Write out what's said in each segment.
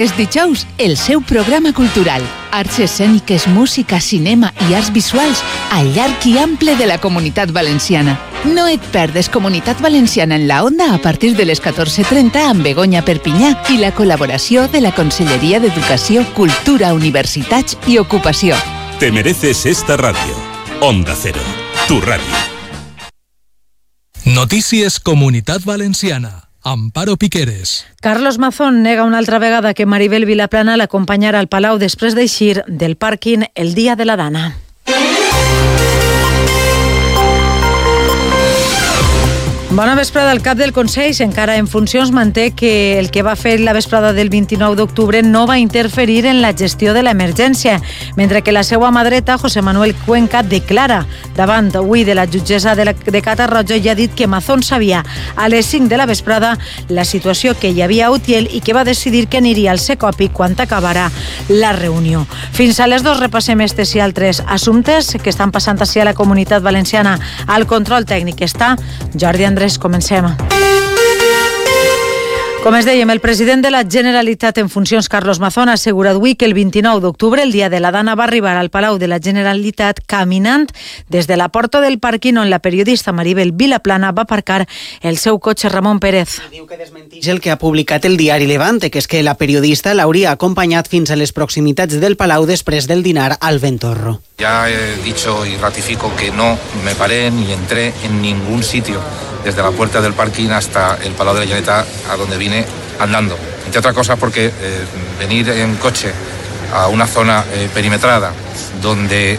Els dijous, el seu programa cultural. Arts escèniques, música, cinema i arts visuals al llarg i ample de la Comunitat Valenciana. No et perdes Comunitat Valenciana en la Onda a partir de les 14:30 amb Begoña Perpinyà i la col·laboració de la Conselleria d'Educació, Cultura, Universitats i Ocupació. Te mereces esta radio. Onda Cero, tu radio. Notícies Comunitat Valenciana. Amparo Piqueres. Carlos Mazón nega una altra vegada que Maribel Vilaplana l'acompanyarà al Palau després d'eixir del pàrquing el dia de la Dana. Bona vesprada. El cap del Consell, encara en funcions, manté que el que va fer la vesprada del 29 d'octubre no va interferir en la gestió de l'emergència, mentre que la seva mà dreta, José Manuel Cuenca, declara davant avui de la jutgessa de Catarroja i ha dit que Mazón sabia a les 5 de la vesprada la situació que hi havia a Utiel i que va decidir que aniria al Secopi quan acabarà la reunió. Fins a les 2 repassem estes i altres assumptes que estan passant així a la Comunitat Valenciana. Al control tècnic està Jordi Andrés. Comencem. Com es dèiem, el president de la Generalitat en funcions, Carlos Mazón, ha assegurat avui que el 29 d'octubre, el dia de la Dana, va arribar al Palau de la Generalitat caminant des de la porta del pàrquing on la periodista Maribel Vilaplana va aparcar el seu cotxe. Ramon Pérez. Diu que desmenteix el que ha publicat el diari Levante, que és que la periodista l'hauria acompanyat fins a les proximitats del Palau després del dinar al Ventorro. Ya he dicho y ratifico que no me paré ni entré en ningún sitio desde la puerta del parking hasta el Palau de la Generalitat, a donde vine andando. Entre otras cosas porque venir en coche a una zona perimetrada donde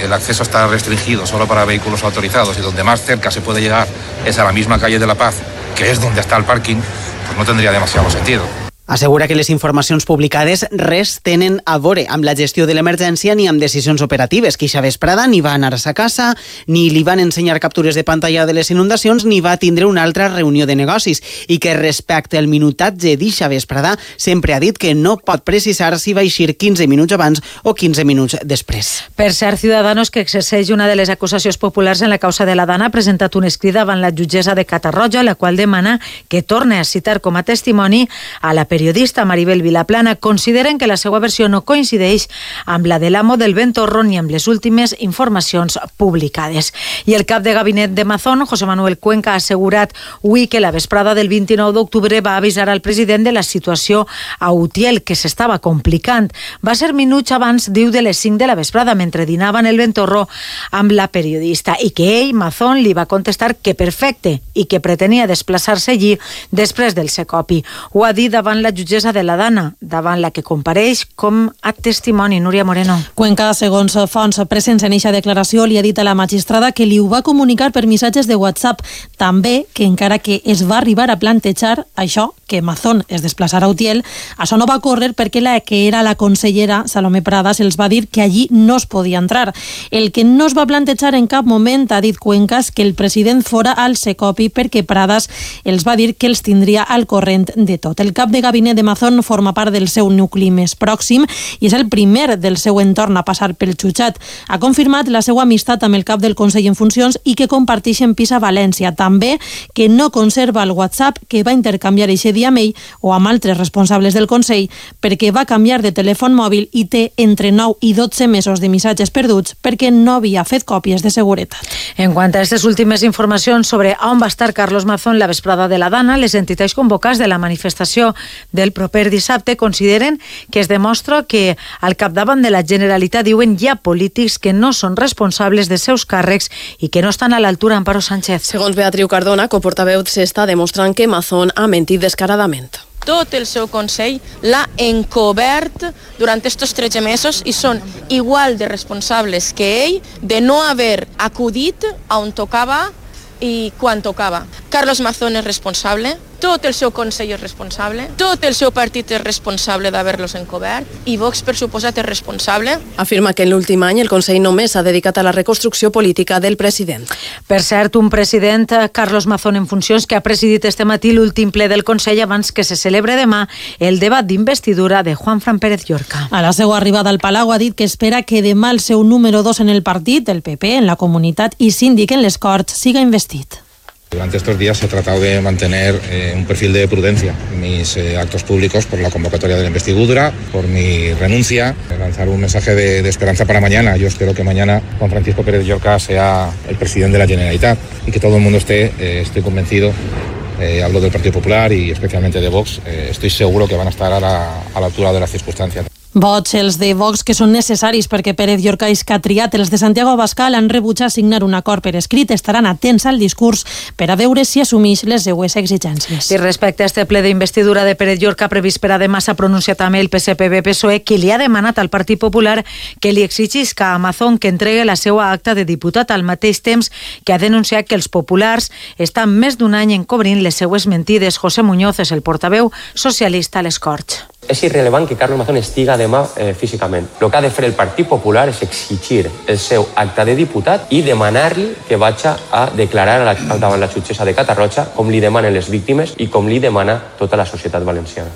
el acceso está restringido solo para vehículos autorizados y donde más cerca se puede llegar es a la misma calle de la Paz, que es donde está el parking, pues no tendría demasiado sentido. Assegura que les informacions publicades res tenen a veure amb la gestió de l'emergència ni amb decisions operatives, que eixa vesprada ni va anar a casa, ni li van ensenyar captures de pantalla de les inundacions, ni va tindre una altra reunió de negocis, i que respecte al minutatge d'eixa vesprada sempre ha dit que no pot precisar si va eixir 15 minuts abans o 15 minuts després. Per cert, Ciudadanos, que exerceix una de les acusacions populars en la causa de la Dana, ha presentat un escrit davant la jutgessa de Catarroja, la qual demana que torne a citar com a testimoni a la periodista Maribel Vilaplana. Consideren que la seva versió no coincideix amb la de l'amo del Ventorro ni amb les últimes informacions publicades. I el cap de gabinet de Mazón, José Manuel Cuenca, ha assegurat avui que la vesprada del 29 d'octubre va avisar al president de la situació a Utiel, que s'estava complicant. Va ser minuts abans, diu, de les 5 de la vesprada, mentre dinava en el Ventorro amb la periodista, i que ell, Mazón, li va contestar que perfecte i que pretenia desplaçar-se allí després del Secopi. Ho ha dit davant la jutgessa de la Dana, davant la que compareix com a testimoni. Núria Moreno. Cuenca, segons fonts presents en eixa declaració, li ha dit a la magistrada que li ho va comunicar per missatges de WhatsApp. També que encara que es va arribar a plantejar això, que Mazón es desplaçarà a Utiel, això no va córrer perquè la que era la consellera Salomé Pradas els va dir que allí no es podia entrar. El que no es va plantejar en cap moment, ha dit Cuenca, és que el president fora al Secopi, perquè Pradas els va dir que els tindria al corrent de tot. El cap de gabinet de Mazón forma part del seu nucli més pròxim i és el primer del seu entorn a passar pel jutjat. Ha confirmat la seva amistat amb el cap del Consell en funcions i que comparteixen pis a València. També que no conserva el WhatsApp que va intercanviar eixe dia amb ell o amb altres responsables del Consell, perquè va canviar de telèfon mòbil i té entre 9 i 12 mesos de missatges perduts perquè no havia fet còpies de seguretat. En quant a aquestes últimes informacions sobre on va estar Carlos Mazón la vesprada de la Dana, les entitats convocats de la manifestació del proper dissabte consideren que es demostra que al capdavant de la Generalitat, diuen, hi ha polítics que no són responsables de seus càrrecs i que no estan a l'altura. Amparo Sánchez. Segons Beatriu Cardona, coportaveu, s'està demostrant que Mazón ha mentit descaradament. Tot el seu Consell l'ha encobert durant estos 13 mesos i són igual de responsables que ell de no haver acudit a on tocava i quan tocava. Carlos Mazón és responsable, tot el seu Consell és responsable, tot el seu partit és responsable d'haver-los encobert i Vox, per suposat, és responsable. Afirma que en l'últim any el Consell només s'ha dedicat a la reconstrucció política del president. Per cert, un president, Carlos Mazón en funcions, que ha presidit este matí l'últim ple del Consell abans que se celebre demà el debat d'investidura de Juanfran Pérez Llorca. A la seva arribada al Palau ha dit que espera que demà el seu número 2 en el partit, el PP, en la comunitat i síndic en les Corts, siga investit. Durante estos días he tratado de mantener un perfil de prudencia en mis actos públicos por la convocatoria de la investidura, por mi renuncia, lanzar un mensaje de esperanza para mañana. Yo espero que mañana Juan Francisco Pérez Llorca sea el presidente de la Generalitat y que todo el mundo estoy convencido, hablo del Partido Popular y especialmente de Vox, estoy seguro que van a estar a la altura de las circunstancias. Vots, els de Vox, que són necessaris perquè Pérez Llorca és que ha triat. Els de Santiago Abascal han rebutjat signar un acord per escrit. Estaran atents al discurs per a veure si assumeix les seues exigències. I respecte a este ple d'investidura de Pérez Llorca previst per a demà, s'ha pronunciat també el PSPB-PSOE, que li ha demanat al Partit Popular que li exigisca a Amazon que entregue la seva acta de diputat, al mateix temps que ha denunciat que els populars estan més d'un any encobrint les seues mentides. José Muñoz és el portaveu socialista a les Corts. És irrellevant que Carlos Mazón estiga demà físicament. El que ha de fer el Partit Popular és exigir el seu acta de diputat i demanar-li que vagi a declarar davant la jutgessa de Catarroja, com li demanen les víctimes i com li demana tota la societat valenciana.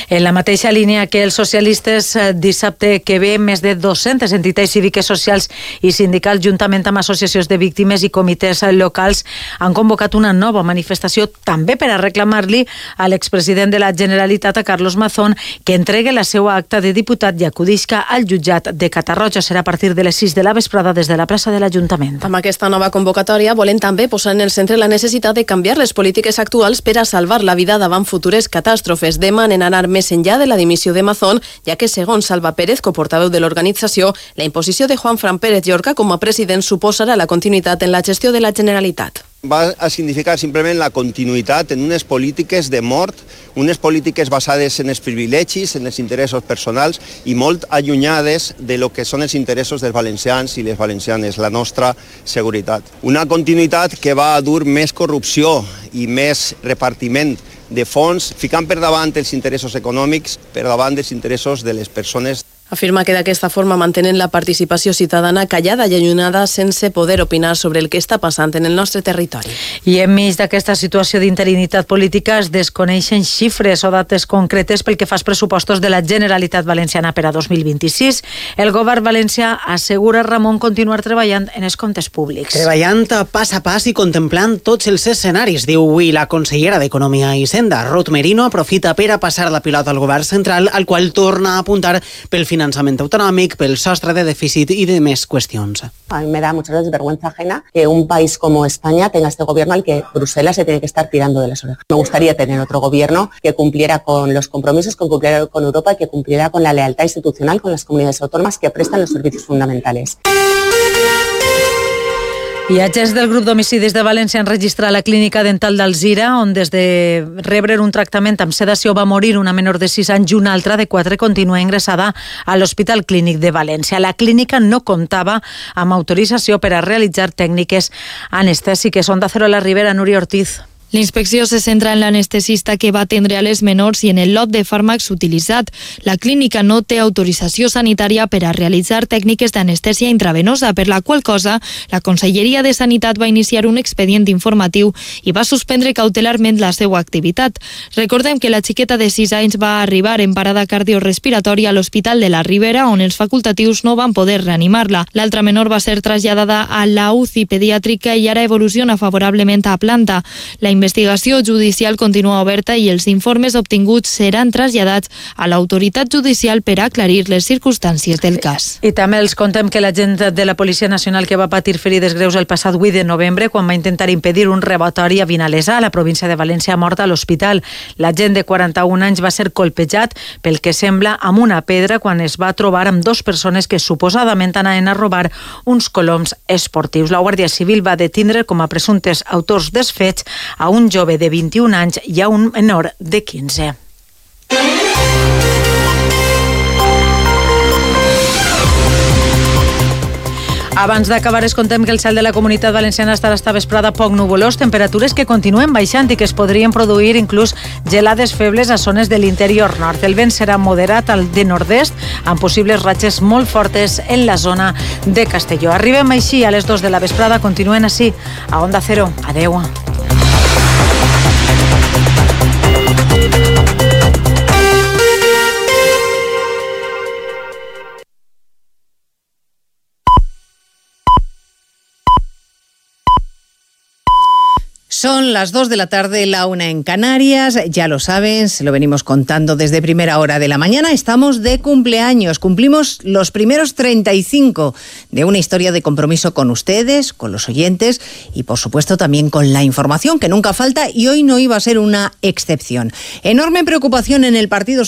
En la mateixa línia que els socialistes, dissabte que ve, més de 200 entitats cíviques, socials i sindicals, juntament amb associacions de víctimes i comitès locals, han convocat una nova manifestació també per a reclamar-li a l'expresident de la Generalitat, a Carlos Mazón, que entregue la seva acta de diputat i acudisca al jutjat de Catarroja. Serà a partir de les 6 de la vesprada des de la plaça de l'Ajuntament. Amb aquesta nova convocatòria volen també posar en el centre la necessitat de canviar les polítiques actuals per a salvar la vida davant futures catàstrofes. Demanen anar més enllà de la dimissió de Mazón, ja que, segons Salva Pérez, coportaveu de l'organització, la imposició de Juan Fran Pérez Llorca com a president suposarà la continuïtat en la gestió de la Generalitat. Va a significar simplement la continuïtat en unes polítiques de mort, unes polítiques basades en els privilegis, en els interessos personals i molt allunyades de lo que són els interessos dels valencians i les valencianes, la nostra seguretat. Una continuïtat que va a dur més corrupció i més repartiment de fons, ficant per davant els interessos econòmics, per davant dels interessos de les persones. Afirma que d'aquesta forma mantenen la participació ciutadana callada i allunyada sense poder opinar sobre el que està passant en el nostre territori. I enmig d'aquesta situació d'interinitat política es desconeixen xifres o dates concretes pel que fa als pressupostos de la Generalitat Valenciana per a 2026. El govern valencià assegura, Ramon, continuar treballant en els comptes públics. Treballant pas a pas i contemplant tots els escenaris, diu avui la consellera d'Economia i Hisenda. Ruth Merino aprofita per a passar la pilota al govern central, al qual torna a apuntar pel finançament autonòmic, pel sostre de dèficit y de més cuestiones. A mí me da muchas veces vergüenza ajena que un país como España tenga este gobierno al que Bruselas se tiene que estar tirando de las orejas. Me gustaría tener otro gobierno que cumpliera con los compromisos, que cumpliera con Europa y que cumpliera con la lealtad institucional con las comunidades autónomas que prestan los servicios fundamentales. I agents del grup d'homicidis de València han registrat la clínica dental d'Alzira, on des de rebre un tractament amb sedació va morir una menor de 6 anys i una altra de 4 continua ingressada a l'Hospital Clínic de València. La clínica no comptava amb autorització per a realitzar tècniques anestèsiques. Onda Cero a la Ribera, Núria Ortiz. La inspecció se centra en l'anestesista que va atendre a les menors i en el lot de fàrmacs utilitzat. La clínica no té autorització sanitària per a realitzar tècniques d'anestèsia intravenosa, per la qual cosa la Conselleria de Sanitat va iniciar un expedient informatiu i va suspendre cautelarment la seva activitat. Recordem que la xiqueta de 6 anys va arribar en parada cardiorespiratòria a l'Hospital de la Ribera, on els facultatius no van poder reanimar-la. L'altra menor va ser traslladada a la UCI pediàtrica i ara evoluciona favorablement a planta. La investigació judicial continua oberta i els informes obtinguts seran traslladats a l'autoritat judicial per aclarir les circumstàncies del cas. I també els contem que l'agent de la Policia Nacional que va patir ferides greus el passat 8 de novembre quan va intentar impedir un robatori a Vinalesa, a la província de València, ha mort a l'hospital. L'agent de 41 anys va ser colpejat pel que sembla amb una pedra quan es va trobar amb 2 persones que suposadament anaven a robar uns coloms esportius. La Guàrdia Civil va detindre com a presumptes autors dels fets a un jove de 21 anys i a un menor de 15. Abans d'acabar, es contem que el cel de la Comunitat Valenciana estarà esta vesprada poc nuvolós, temperatures que continuen baixant i que es podrien produir inclús gelades febles a zones de l'interior nord. El vent serà moderat al de nord-est, amb possibles ratxes molt fortes en la zona de Castelló. Arribem així a les 2 de la vesprada, continuen així a Onda Cero. Adeu. Son las 2 de la tarde, la 1 en Canarias. Ya lo saben, se lo venimos contando desde primera hora de la mañana. Estamos de cumpleaños. Cumplimos los primeros 35 de una historia de compromiso con ustedes, con los oyentes y, por supuesto, también con la información, que nunca falta, y hoy no iba a ser una excepción. Enorme preocupación en el Partido